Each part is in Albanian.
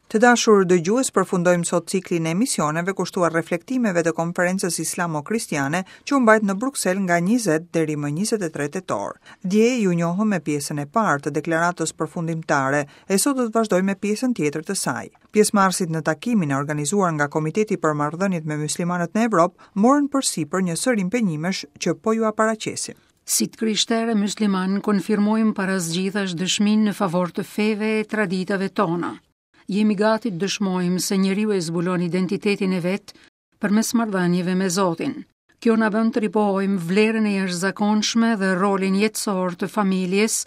Të dashur dëgjues, përfundojmë sot ciklin e emisioneve kushtuar reflektimeve të konferencës islamo-kristiane që u mbajt në Bruksel nga 20 deri më 23 tetor. Dje ju njohëm me pjesën e parë të deklaratës përfundimtare e sot do të vazhdojmë me pjesën tjetër të saj. Pjesëmarrësit në takimin e organizuar nga Komiteti për Marrëdhëniet me Myslimanët në Evropë morën përsipër një sërë impenjimesh që po jua paraqesim. Si të krishterë e myslimanë konfirmojmë para së gjithash dëshminë në favor të feve e traditave tona. Jemi gati të dëshmojmë se njeriu e zbulon identitetin e vet përmes marrëdhënieve me Zotin. Kjo na bën të ripohojmë vlerën e jashtëzakonshme dhe rolin jetësor të familjes,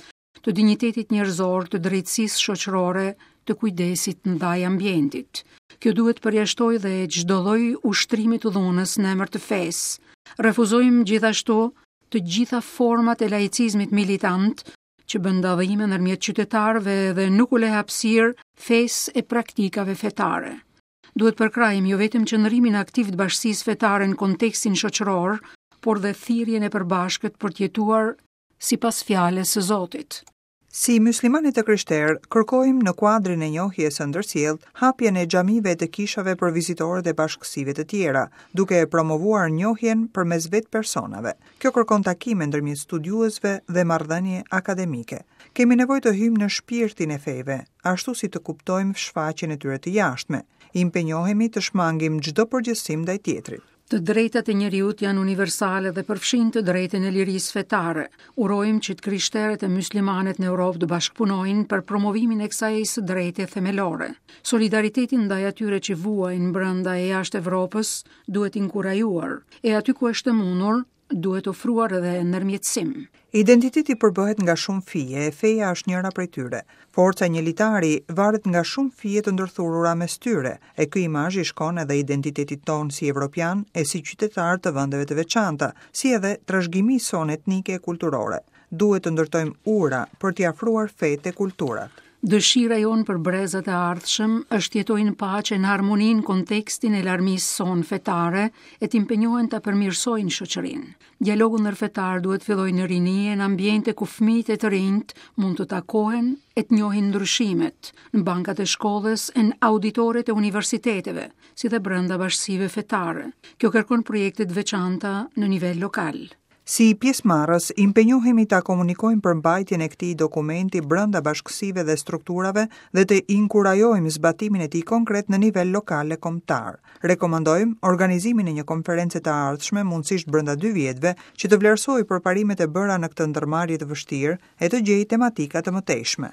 të dinjitetit njerëzor, të drejtësisë shoqërore, të kujdesit ndaj ambientit. Kjo duhet të përjashtojë dhe çdo lloj ushtrimi të dhunës në emër të fesë. Refuzojmë gjithashtu të gjitha format e laicizmit militant që bën dallime ndërmjet qytetarëve dhe nuk u lë hapësirë fesë e praktikave fetare. Duhet përkrahim jo vetëm qëndrimin aktiv të bashkësisë fetare në kontekstin shoqëror, por dhe thirrjen e përbashkët për të jetuar sipas fjalës së Zotit. Si myslimanë e të krishterë, kërkojmë në kuadrin e njohjes së ndërsjelltë hapjen e xhamive e të kishave për vizitorët e bashkësive të tjera, duke promovuar njohjen përmes vetë personave. Kjo kërkon takime ndërmjet studiuesve dhe marrëdhënie akademike. Kemi nevojë të hyjmë në shpirtin e feve, ashtu si të kuptojmë shfaqjen e tyre të jashtme. Impenjohemi të shmangim çdo përgjithësim ndaj tjetrit. Të drejtat e njeriut janë universale dhe përfshijnë të drejtën e lirisë fetare. Urojmë që të krishterët e myslimanët në Europë të bashkëpunojnë për promovimin e kësaj së drejte themelore. Solidariteti ndaj atyre që vuajnë brenda e jashtë Evropës duhet inkurajuar, e aty ku është e mundur, duhet ofruar edhe ndërmjetësim. Identiteti përbëhet nga shumë fije e feja është njëra prej tyre. Forca e një litari varet nga shumë fije të ndërthurura mes tyre, e ky imazh i shkon edhe identitetit tonë si evropianë e si qytetarë të vendeve të veçanta, si edhe trashëgimisë sonë etnike e kulturore. Duhet të ndërtojmë ura për t'i afruar fetë e kulturat. Dëshira jonë për brezat e ardhshëm është të jetojnë në paqe në harmoni në kontekstin e larmisë sonë fetare e të impenjohen ta përmirësojnë shoqërinë. Dialogu ndërfetar duhet të fillojë në rini e në ambiente ku fëmijët e të rinjtë mund të takohen e të njohin ndryshimet, në bankat e shkollës e në auditoret e universiteteve, si dhe brenda bashkësive fetare. Kjo kërkon projekte të veçanta në nivel lokal. Si pjesëmarrës, impenjohemi ta komunikojmë përmbajtjen e këtij dokumenti brenda bashkësive dhe strukturave dhe të inkurajojmë zbatimin e tij konkret në nivel lokal e kombëtar. Rekomandojmë organizimin e një konference të ardhshme, mundësisht brenda dy vjetëve, që të vlerësojë përparimet e bëra në këtë ndërmarrje të vështirë e të gjejë tematika të mëtejshme.